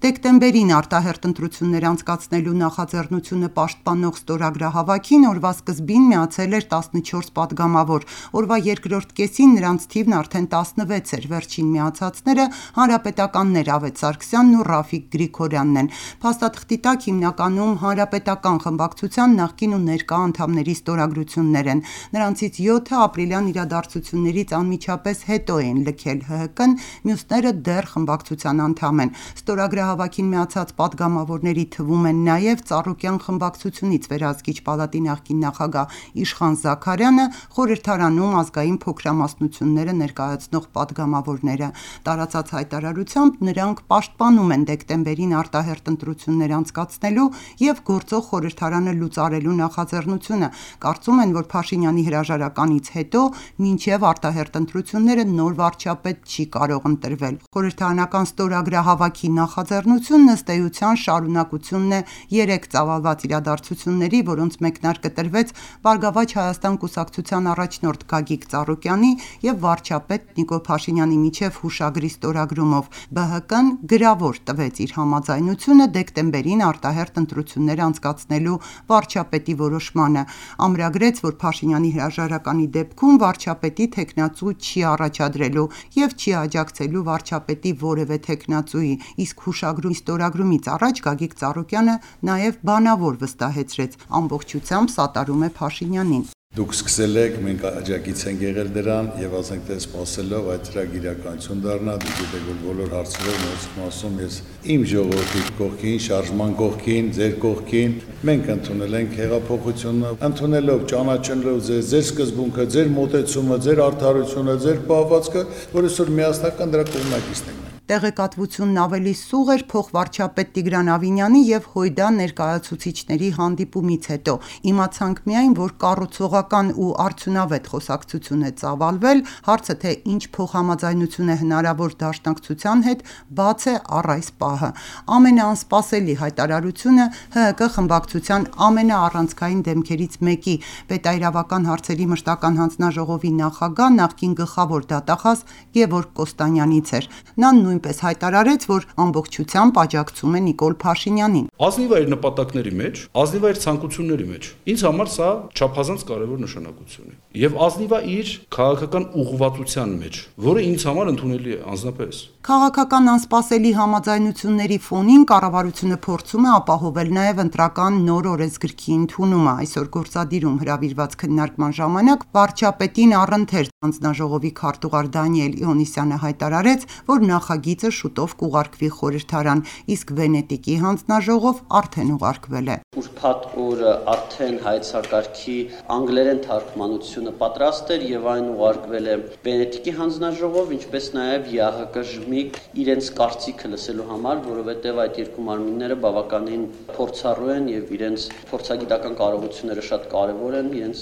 Դեկտեմբերին արտահերթ ընտրություններ անցկացնելու նախաձեռնությունը պաշտպանող ստորագրահավաքին օրվա սկզբին միացել էր 14 պատգամավոր, օրվա երկրորդ կեսին նրանց թիվն արդեն 16 էր, վերջին միացածները հանրապետականներ Ավետ Սարգսյանն ու Ռաֆիկ Գրիգորյանն են։ Փաստաթղթի տակ հիմնականում հանրապետական խմբակցության նախկին ու ներկա անդամների ստորագրություններ են։ Նրանցից 7-ը ապրիլյան իրադարձություններից անմիջապես հետո էին լքել ՀՀԿ-ն, մյուսները դեռ խմբակցության անդամ են։ Ստորագրահավաքին միացած պատգամավորների թվում են նաև Ծառուկյան խմբակցությունից Վերահսկիչ պալատի նախկին նախագահ Իշխան Զաքարյանը, խորհրդարանում ազգային փոքրամասնությունները ներկայացնող պատգամավորները։ Տարածած հայտարարությամբ նրանք պաշտպանում են դեկտեմբերին արտահերթ ընտրություններ անցկացնելու և գործող խորհրդարանը լուծարելու նախաձեռնությունը, կարծում են, որ Փաշինյանի հրաժարականից հետո մինչև արտահերթ ընտրությունները նոր վարչապետ չի կարող ընտրվել։ Խորհրդարանական ստորագրահավաքի նախաձեռնությունն ըստ էության շարունակությունն է 3 ծավալված իրադարձությունների, որոնց մեկնարկը տրվեց Բարգավաճ Հայաստան կուսակցության առաջնորդ Գագիկ Ծառուկյանի և վարչապետ Նիկոլ Փաշինյանի միջև հուշագրի ստորագրումով։ ԲՀԿ-ն գրավոր տվեց իր համաձայնությունը դեկտեմբերին արտահերթ ընտրություններ անցկացնելու վարչապետի որոշմանը, ամրագրեց, որ Փաշինյանի հրաժարականի դեպքում վարչապետի թեկնածու չի առաջադրելու և չի աջակցելու վարչապետի որևէ թեկնածուի, իսկ հուշագրի ստորագրումից առաջ Գագիկ Ծառուկյանը նաև բանավոր վստահեցրեց՝ ամբողջությամբ սատարում է Փաշինյանին։ Դուք սկսել եք, մենք աջակից ենք եղել դրան և ասենք թե սպասելով այդ ծրագիրը իրականություն դառնա, դուք գիտեք, որ բոլոր հարցերով նորից եմ ասում, ես իմ ժողովրդի կողքին, շարժման կողքին, ձեր կողքին, մենք ընդունել ենք հեղափոխությունը, ընդունելով, ճանաչելով ձեր սկզբունքը, ձեր մոտեցումը, ձեր արդարությունը, ձեր պահվածքը, որ այսօր միասնական դրա կողմնակիցն ենք։ Տեղեկատվությունն ավելի սուղ էր փոխվարչապետ Տիգրան Ավինյանի և Հույդա ներկայացուցիչների հանդիպումից հետո։ Իմացանք միայն, որ կառուցողական ու արդյունավետ խոսակցություն է ծավալվել, հարցը թե ինչ փոխհամաձայնություն է հնարավոր դաշնակցության հետ, բաց է առ այս պահը։ Ամենաանսպասելի հայտարարությունը ՀՀԿ խմբակցության ամենաառանցքային դեմքերից մեկի՝ Պետաիրավական հարցերի մշտական հանձնաժողովի նախագահ, նախկին գլխավոր դատախազ Գևորգ Կոստանյանից էր։ Նա նույնպես հայտարարեց, որ ամբողջությամբ աջակցում է Նիկոլ Փաշինյանին։ Ազնիվ է իր նպատակների մեջ, ազնիվ է իր ցանկությունների մեջ։ Ինձ համար սա չափազանց կարևոր նշանակություն է։ Եվ ազնիվ է իր քաղաքական ուղղվածության մեջ, որը ինձ համար ընդունելի է անձնապես։ Քաղաքական անսպասելի համաձայնությունների ֆոնին կառավարությունը փորձում է ապահովել նաև ընտրական նոր օրենսգրքի ընդունումը։ Այսօր գործադիրում հրավիրված քննարկման ժամանակ վարչապետին առընթերց հանձնաժողովի քարտուղար Դանիել Իոնիսյանը հայտարարեց, որ նախագիծը շուտով կուղարկվի խորհրդարան, իսկ Վենետիկի հանձնաժողով արդեն ուղարկվել է։ Ուրբաթ օրը արդեն հայեցակարգի անգլերեն թարգմանությունը պատրաստ էր եւ այն ուղարկվել է Վենետիկի հանձնաժողով, ինչպես նաեւ ԵԱՀԿ իրենց կարծիքը լսելու համար, որովհետև այդ երկու մարմինները բավականին փորձառու են եւ իրենց փորձագիտական կարողությունները շատ կարեւոր են, իրենց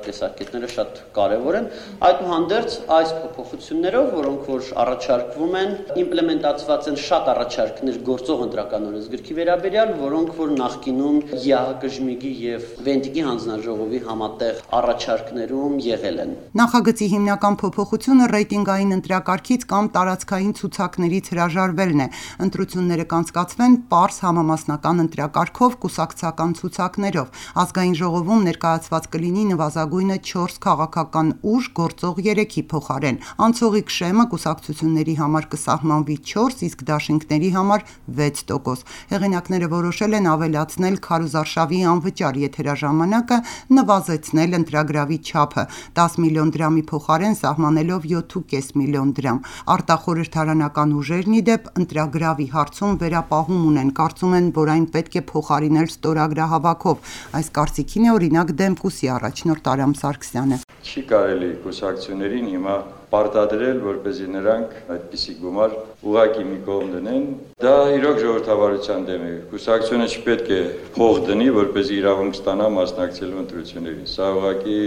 տեսակետները շատ կարեւոր են։ Այդուհանդերձ այս փոփոխություններով, որոնք որ առաջարկվում են, իմպլեմենտացված են շատ առաջարկներ գործող ընտրական օրենսգրքի վերաբերյալ, որոնք որ նախկինում ԵԱՀԿ եւ Վենետիկի հանձնաժողովի համատեղ առաջարկներում եղել են։ Նախագծի հիմնական փոփոխությունը ռեյտինգային ընտրակարգից կամ տարածքային ցուցակներից հրաժարվելն է։ Ընտրությունները կանցկացվեն պարզ համամասնական ընտրակարգով կուսակցական ցուցակներով։ Ազգային ժողովում ներկայացված կլինի նվազագույնը 4 քաղաքական ուժ գործող 3-ի փոխարեն։ Անցողիկ շեմը կուսակցությունների համար կսահմանվի 4, իսկ դաշինքների համար 6%։ Հեղինակները որոշել են ավելացնել քարոզարշավի անվճար եթերաժամանակը, նվազեցնել ընտրագրավի չափը 10 միլիոն դրամի փոխարեն սահմանելով 7.5 միլիոն դրամ։ Արտախորհրդարանական ուժերն ի դեպ ընտրագրավի հարցում վերապահում ունեն, կարծում են, որ այն պետք է փոխարինել ստորագրահավաքով։ Այս կարծիքին է օրինակ Դեմկուսի առաջնորդ Արամ Սարգսյանը։ Չի կարելի կուսակցություններին հիմա պարտադրել, որպեսզի նրանք այդպիսի գումար ուղղակի մի կողմ դնեն։ Դա իրոք ժողովրդավարության դեմ է։ Կուսակցությունը չպետք է փող դնի, որպեսզի իրավունք ստանա մասնակցելու ընտրություններին։ Սա ուղղակի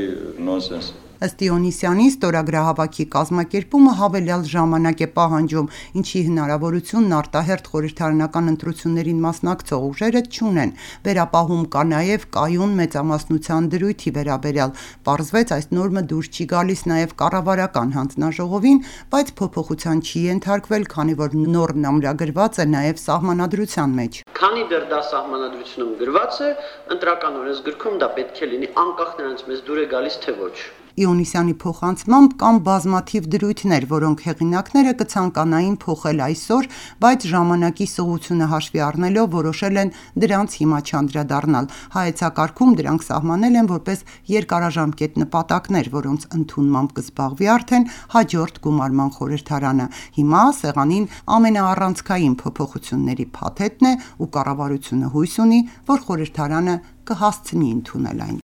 նոնսենս է։ Ըստ Իոնիսյանի, ստորագրահավաքի կազմակերպումը հավելյալ ժամանակ է պահանջում, ինչի հնարավորությունն արտահերթ խորհրդարանական ընտրություններին մասնակցող ուժերը չունեն։ Վերապահում կա նաև կայուն մեծամասնության դրույթի վերաբերյալ։ Պարզվեց, այս նորմը դուրս չի գալիս նաև կառավարական հանձնաժողովին, բայց փոփոխության չի ենթարկվել, քանի որ նորմն ամրագրված է նաև սահմանադրության մեջ։ Քանի դեռ դա սահմանադրությունում գրված է, ընտրական օրենսգրքում դա պետք է լինի անկախ նրանց մեզ դուր է գալիս թե ոչ։ Իոնիսյանի փոխանցմամբ կան բազմաթիվ դրույթներ, որոնք հեղինակները կցանկանային փոխել այսօր, բայց ժամանակի սղությունը հաշվի առնելով որոշել են դրանց հիմա չանդրադառնալ։ Հայեցակարգում դրանք սահմանել են որպես երկարաժամկետ նպատակներ, որոնց ընդունմամբ կզբաղվի արդեն հաջորդ գումարման խորհրդարանը։ Հիմա սեղանին ամենաառանցքային փոփոխությունների փաթեթն է ու կառավարությունը հույս ունի, որ խորհրդարանը կհասցնի ընդունել այն։